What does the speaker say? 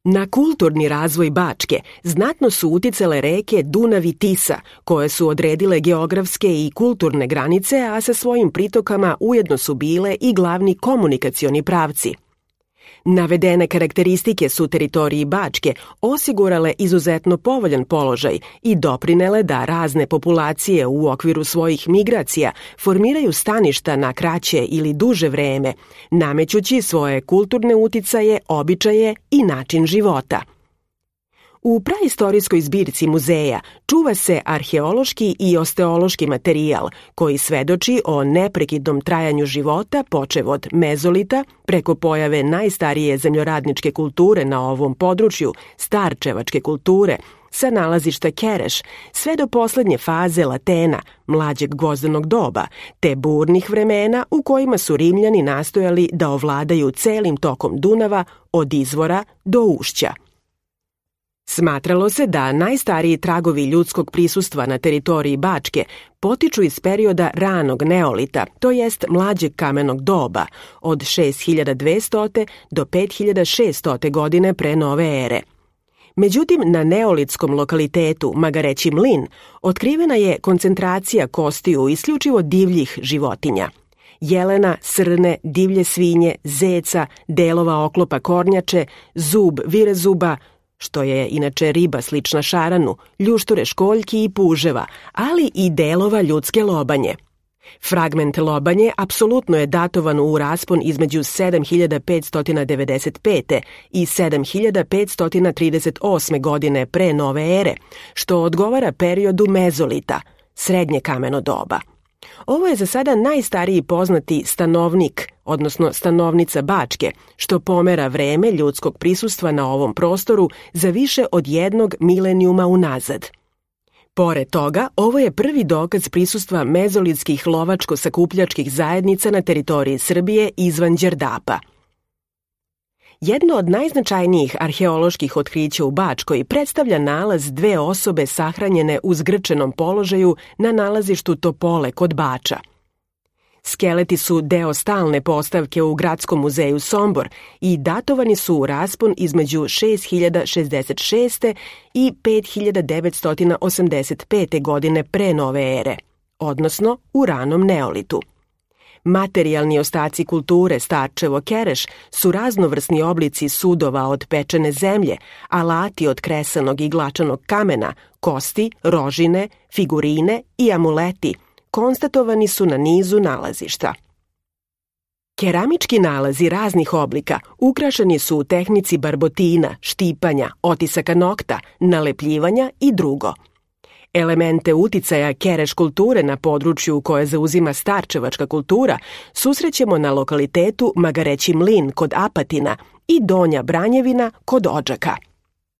Na kulturni razvoj Bačke znatno su uticale reke Dunav i Tisa, koje su odredile geografske i kulturne granice, a sa svojim pritokama ujedno su bile i glavni komunikacioni pravci. Navedene karakteristike su teritoriji Bačke osigurale izuzetno povoljan položaj i doprinele da razne populacije u okviru svojih migracija formiraju staništa na kraće ili duže vreme, namećući svoje kulturne uticaje, običaje i način života. U praistorijskoj zbirci muzeja čuva se arheološki i osteološki materijal koji svedoči o neprekidnom trajanju života počev od mezolita preko pojave najstarije zemljoradničke kulture na ovom području, starčevačke kulture, sa nalazišta Kereš, sve do poslednje faze Latena, mlađeg gvozdenog doba, te burnih vremena u kojima su Rimljani nastojali da ovladaju celim tokom Dunava od izvora do ušća. Smatralo se da najstariji tragovi ljudskog prisustva na teritoriji Bačke potiču iz perioda ranog neolita, to jest mlađeg kamenog doba, od 6200. do 5600. godine pre nove ere. Međutim, na neolitskom lokalitetu Magareći mlin otkrivena je koncentracija kostiju isključivo divljih životinja. Jelena, srne, divlje svinje, zeca, delova oklopa kornjače, zub virezuba, što je inače riba slična šaranu, ljušture školjki i puževa, ali i delova ljudske lobanje. Fragment lobanje apsolutno je datovan u raspon između 7595. i 7538. godine pre nove ere, što odgovara periodu mezolita, srednje kameno doba. Ovo je za sada najstariji poznati stanovnik, odnosno stanovnica Bačke, što pomera vreme ljudskog prisustva na ovom prostoru za više od 1 milenijuma unazad. Pored toga, ovo je prvi dokaz prisustva mezolitskih lovačko-sakupljačkih zajednica na teritoriji Srbije izvan Đerdapa. Jedno od najznačajnijih arheoloških otkrića u Bačkoj predstavlja nalaz 2 osobe sahranjene u zgrčenom položaju na nalazištu Topole kod Bača. Skeleti su deo stalne postavke u Gradskom muzeju Sombor i datovani su u raspon između 6066. i 5985. godine pre nove ere, odnosno u ranom neolitu. Materijalni ostaci kulture Starčevo Kereš su raznovrsni oblici sudova od pečene zemlje, alati od kresanog i glačanog kamena, kosti, rožine, figurine i amuleti, konstatovani su na nizu nalazišta. Keramički nalazi raznih oblika ukrašeni su u tehnici barbotina, štipanja, otisaka nokta, nalepljivanja i drugo. Elemente uticaja Kereš kulture na području koje zauzima starčevačka kultura susrećemo na lokalitetu Magareći mlin kod Apatina i Donja Branjevina kod Odžaka.